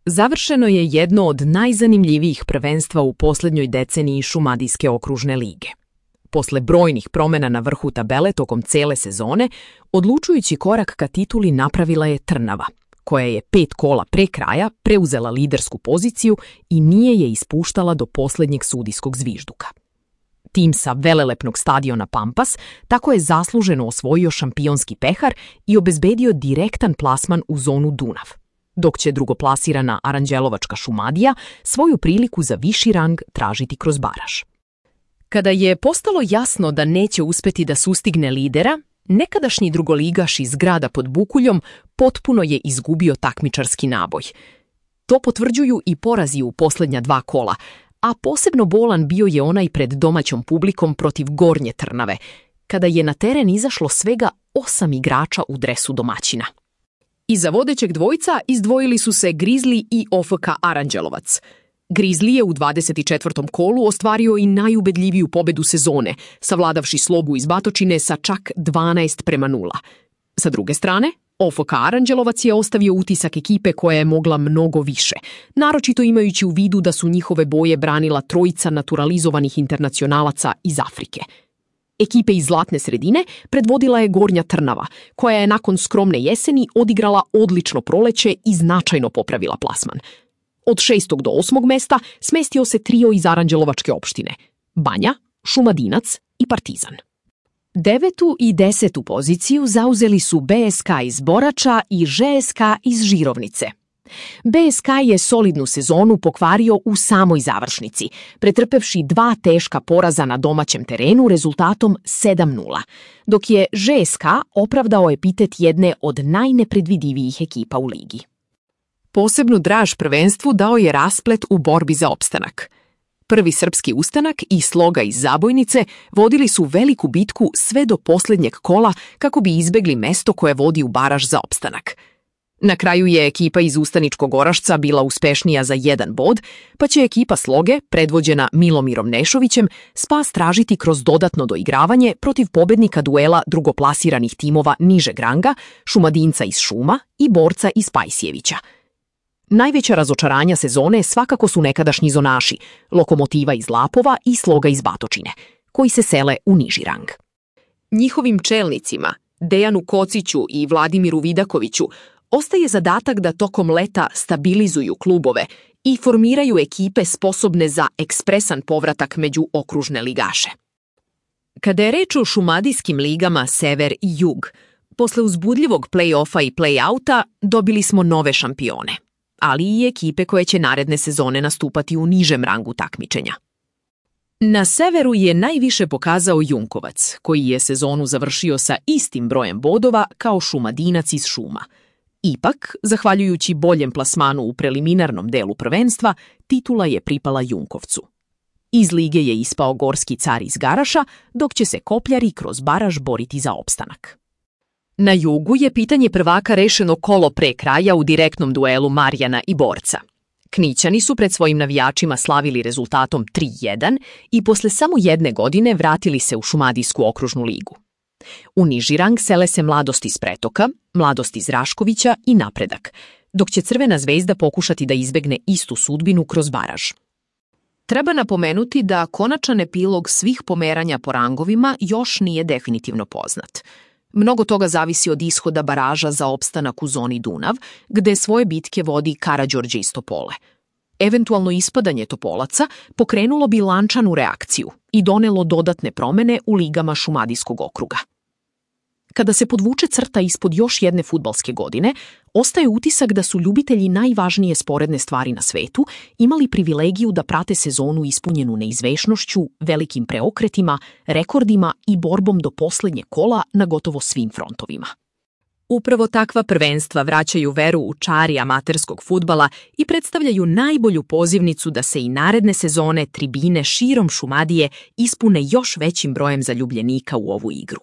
Završeno je jedno od najzanimljivijih prvenstva u posljednjoj deceniji Šumadijske okružne lige. Posle brojnih promjena na vrhu tabele tokom cele sezone, odlučujući korak ka tituli napravila je Trnava, koja je 5 kola pre kraja preuzela lidersku poziciju i nije je ispuštala do posljednjeg sudijskog zvižduka. Tim sa velelepnog stadiona Pampas tako je zasluženo osvojio šampionski pehar i obezbedio direktan plasman u zonu Dunav, dok će drugoplasirana Aranđelovačka Šumadija svoju priliku za viši rang tražiti kroz baraž. Kada je postalo jasno da neće uspeti da sustigne lidera, nekadašnji drugoligaš iz grada pod Bukuljom potpuno je izgubio takmičarski naboj. To potvrđuju i porazi u posljednja 2 kola, a posebno bolan bio je onaj pred domaćom publikom protiv Gornje Trnave, kada je na teren izašlo svega 8 igrača u dresu domaćina. Iza vodećeg dvojca izdvojili su se Grizli i OFK Aranđelovac. Grizli je u 24. kolu ostvario i najubedljiviju pobedu sezone, savladavši Slogu iz Batočine sa čak 12:0. Sa druge strane, OFK Aranđelovac je ostavio utisak ekipe koja je mogla mnogo više, naročito imajući u vidu da su njihove boje branila trojica naturalizovanih internacionalaca iz Afrike. Ekipe iz zlatne sredine predvodila je Gornja Trnava, koja je nakon skromne jeseni odigrala odlično proleće i značajno popravila plasman. Od 6. do 8. mesta smestio se trio iz Aranđelovačke opštine – Banja, Šumadinac i Partizan. 9. i 10. poziciju zauzeli su BSK iz Borača i ŽSK iz Žirovnice. BSK je solidnu sezonu pokvario u samoj završnici, pretrpevši 2 teška poraza na domaćem terenu rezultatom 7:0, dok je ŽSK opravdao epitet jedne od najnepredvidivijih ekipa u ligi. Posebnu draž prvenstvu dao je rasplet u borbi za opstanak. Prvi srpski ustanak i Sloga iz Zabojnice vodili su veliku bitku sve do posljednjeg kola kako bi izbegli mesto koje vodi u baraž za opstanak. Na kraju je ekipa iz Ustaničkog Orašca bila uspešnija za 1 bod, pa će ekipa Sloge, predvođena Milomirom Nešovićem, spas tražiti kroz dodatno doigravanje protiv pobednika duela drugoplasiranih timova nižeg ranga, Šumadinca iz Šuma i Borca iz Pajsjevića. Najveća razočaranja sezone svakako su nekadašnji zonaši, Lokomotiva iz Lapova i Sloga iz Batočine, koji se sele u niži rang. Njihovim čelnicima, Dejanu Kociću i Vladimiru Vidakoviću, ostaje zadatak da tokom leta stabilizuju klubove i formiraju ekipe sposobne za ekspresan povratak među okružne ligaše. Kada je reč o šumadijskim ligama Sever i Jug, posle uzbudljivog play-offa i play-outa dobili smo nove šampione, ali i ekipe koje će naredne sezone nastupati u nižem rangu takmičenja. Na severu je najviše pokazao Junkovac, koji je sezonu završio sa istim brojem bodova kao Šumadinac iz Šuma. Ipak, zahvaljujući boljem plasmanu u preliminarnom delu prvenstva, titula je pripala Junkovcu. Iz lige je ispao Gorski car iz Garaša, dok će se Kopljari kroz baraž boriti za opstanak. Na jugu je pitanje prvaka rešeno kolo pre kraja u direktnom duelu Marjana i Borca. Knićani su pred svojim navijačima slavili rezultatom 3:1 i posle samo 1 godine vratili se u Šumadijsku okružnu ligu. U niži rang sele se Mladost iz Pretoka, Mladost iz Raškovića i Napredak, dok će Crvena zvezda pokušati da izbegne istu sudbinu kroz baraž. Treba napomenuti da konačan epilog svih pomeranja po rangovima još nije definitivno poznat. Mnogo toga zavisi od ishoda baraža za opstanak u zoni Dunav, gde svoje bitke vodi Karađorđe iz Topole. Eventualno ispadanje Topolaca pokrenulo bi lančanu reakciju i donelo dodatne promene u ligama Šumadijskog okruga. Kada se podvuče crta ispod još jedne fudbalske godine, ostaje utisak da su ljubitelji najvažnije sporedne stvari na svetu imali privilegiju da prate sezonu ispunjenu neizvešnošću, velikim preokretima, rekordima i borbom do posljednje kola na gotovo svim frontovima. Upravo takva prvenstva vraćaju veru u čari amaterskog fudbala i predstavljaju najbolju pozivnicu da se i naredne sezone tribine širom Šumadije ispune još većim brojem zaljubljenika u ovu igru.